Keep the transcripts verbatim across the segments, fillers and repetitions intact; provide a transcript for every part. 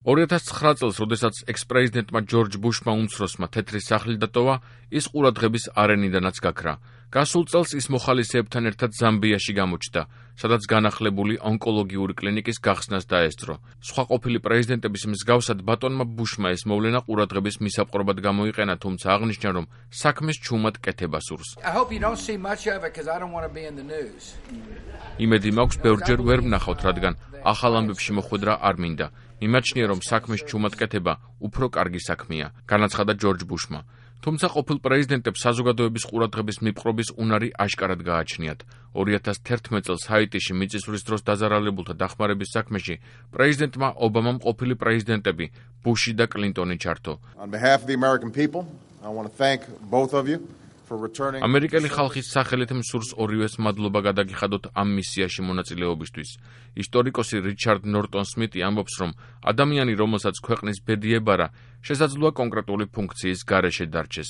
ორი ათას ცხრა წელს, როდესაც ექს-პრეზიდენტმა ჯორჯ ბუშმა უმცროსმა თეთრი სახლი დატოვა, ის ყურადღების არენიდანაც გაქრა. გასულ წელს ის მოხალისეებთან ერთად ზამბიაში გამოჩნდა, სადაც განახლებული ონკოლოგიური კლინიკის გახსნას დაესწრო. სხვა ყოფილი პრეზიდენტების მსგავსად ბატონმა ბუშმა ეს მოვლენა ყურადღების მისაპყრობად გამოიყენა, თუმცა აღნიშნა, რომ საქმეს ჩუმად კეთება სურს. იმედი მაქვს, ბევრჯერ ვერ ვნახავთ, რადგან ახალ ამბებში მოხვედრა არ მინდა. მიმაჩნია, რომ საქმის ჩუმად კეთება უფრო კარგი საქმეა, განაცხადა ჯორჯ ბუშმა. თუმცა ყოფილ პრეზიდენტებს საზოგადოების ყურადღების მიპყრობის უნარი აშკარად გააჩნიათ. ორი ათას თერთმეტ წელს ჰაიტიში მიწისძვრის დროს დაზარალებულთა დახმარების საქმეში პრეზიდენტმა ობამამ ყოფილი პრეზიდენტები ბუში და კლინტონი ჩართო. ამერიკელი ხალხის სახელით მსურს ორივეს მადლობა გადაგიხადოთ ამ მისიაში მონაწილეობისთვის. ისტორიკოსი რიჩარდ ნორტონ სმიტი ამბობს, რომ ადამიანი, რომელსაც ქვეყნის ბედი ებარა, შესაძლოა კონკრეტული ფუნქციის გარეშე დარჩეს.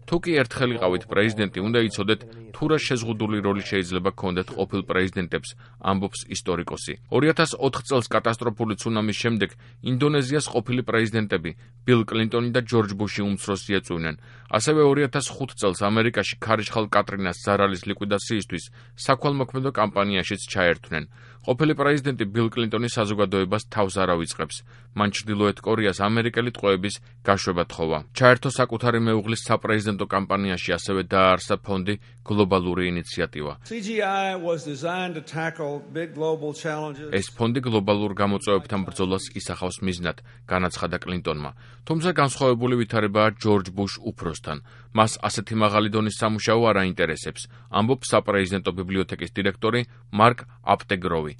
თუ კი ერთხელ იყავით პრეზიდენტი, უნდა იცოდეთ, თუ რა შეზღუდული როლი შეიძლება გქონდეთ ყოფილ პრეზიდენტებს, ამბობს ისტორიკოსი. ორი ათას ოთხ წელს კატასტროფული ცუნამის შემდეგ ინდონეზიას ყოფილი პრეზიდენტები ბილ კლინტონი და ჯორჯ ბუში უმცროსი ეწვივნენ. ასევე ორი ათას ხუთ წელს ამერიკაში ქარიშხალ კატრინას ზარალის ლიკვიდაციისთვის საქველმოქმედო კამპანიაშიც ჩაერთვნენ. ყოფილი პრეზიდენტი ბილ კლინტონი საზოგადოებას თავს არ ავიწყებს. მან ჩრდილოეთ კორეას ამერიკელი ტყვეების გაშვება თხოვა. ჩაერთო საკუთარი მეუღლის საპრეზიდენტო კამპანიაში, ასევე დააარსა ფონდი გლობალური ინიციატივა. ეს ფონდი გლობალურ გამოწვევებთან ბრძოლას ისახავს მიზნად, განაცხადა კლინტონმა. თუმცა განსხვავებული ვითარებაა ჯორჯ ბუშ უფროსთან. მას ასეთი მაღალი დონის სამუშაო არ აინტერესებს, ამბობს საპრეზიდენტო ბიბლიოთეკის დირექტორი მარკ აპტეგროვი.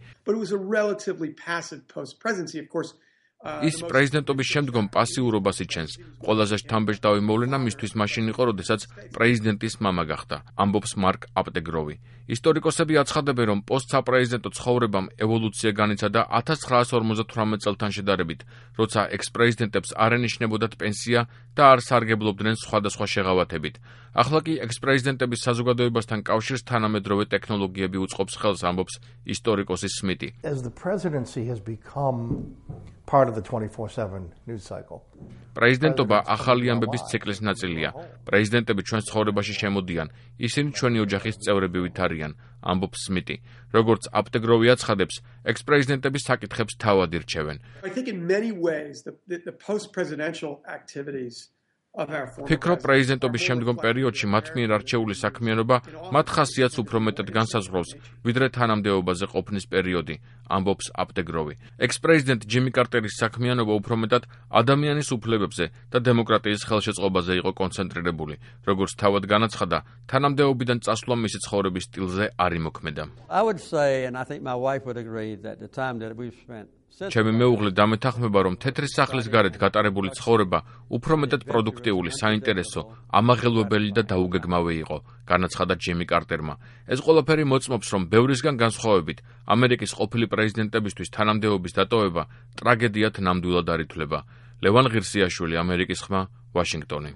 ის პრეზიდენტობის შემდგომ პასიურობას იჩენს. ყველაზე შთამბეჭდავი მოვლენა მისთვის მაშინ იყო, როდესაც პრეზიდენტის მამა გახდა, ამბობს მარკ აპტეგროვი. ისტორიკოსები აცხადებენ, რომ პოსტსაპრეზიდენტო ცხოვრებამ ევოლუცია განიცადა ათას ცხრაასი ორმოცდათვრამეტ წელთან შედარებით, როცა ექს-პრეზიდენტებს არ ენიშნებოდათ პენსია და არ სარგებლობდნენ სხვადასხვა შეღავათებით. ახლა კი ექს-პრეზიდენტების საზოგადოებასთან კავშირს თანამედროვე ტექნოლოგიები უწყობს ხელს, ამბობს ისტორიკოსი სმიტი. პრეზიდენტობა ახალი ამბების ციკლის ნაწილია. პრეზიდენტები ჩვენს ცხოვრებაში შემოდიან, ისინი ჩვენი ოჯახის წევრები არიან, ამბობს სმიტი. როგორც აპტეგროვი აცხადებს, ექს-პრეზიდენტები საკითხებს თავად ირჩევენ. ფიქრობ, პრეზიდენტობის შემდგომ პერიოდში მათ მიერ არჩეული საქმიანობა მათ ხასიათს უფრო მეტად განსაზღვრავს, ვიდრე თანამდებობაზე ყოფნის პერიოდი, ამბობს აპტეგროვი. ექს-პრეზიდენტ ჯიმი კარტერის საქმიანობა უფრო მეტად ადამიანის უფლებებზე და დემოკრატიის ხელშეწყობაზე იყო კონცენტრირებული. როგორც თავად განაცხადა, თანამდებობიდან წასვლა მისი ცხოვრების სტილზე არ იმოქმედა. ჩემი მეუღლე დამეთანხმება, რომ თეთრი სახლის გარეთ გატარებული ცხოვრება უფრო მეტად პროდუქტიული, საინტერესო, ამაღელვებელი და დაუგეგმავი იყო, განაცხადა ჯიმი კარტერმა. ეს ყველაფერი მოწმობს, რომ ბევრისგან განსხვავებით, ამერიკის ყოფილი პრეზიდენტებისთვის თანამდებობის დატოვება ტრაგედიად ნამდვილად არ ითვლება. ლევან ღირსიაშვილი, ამერიკის ხმა, ვაშინგტონი.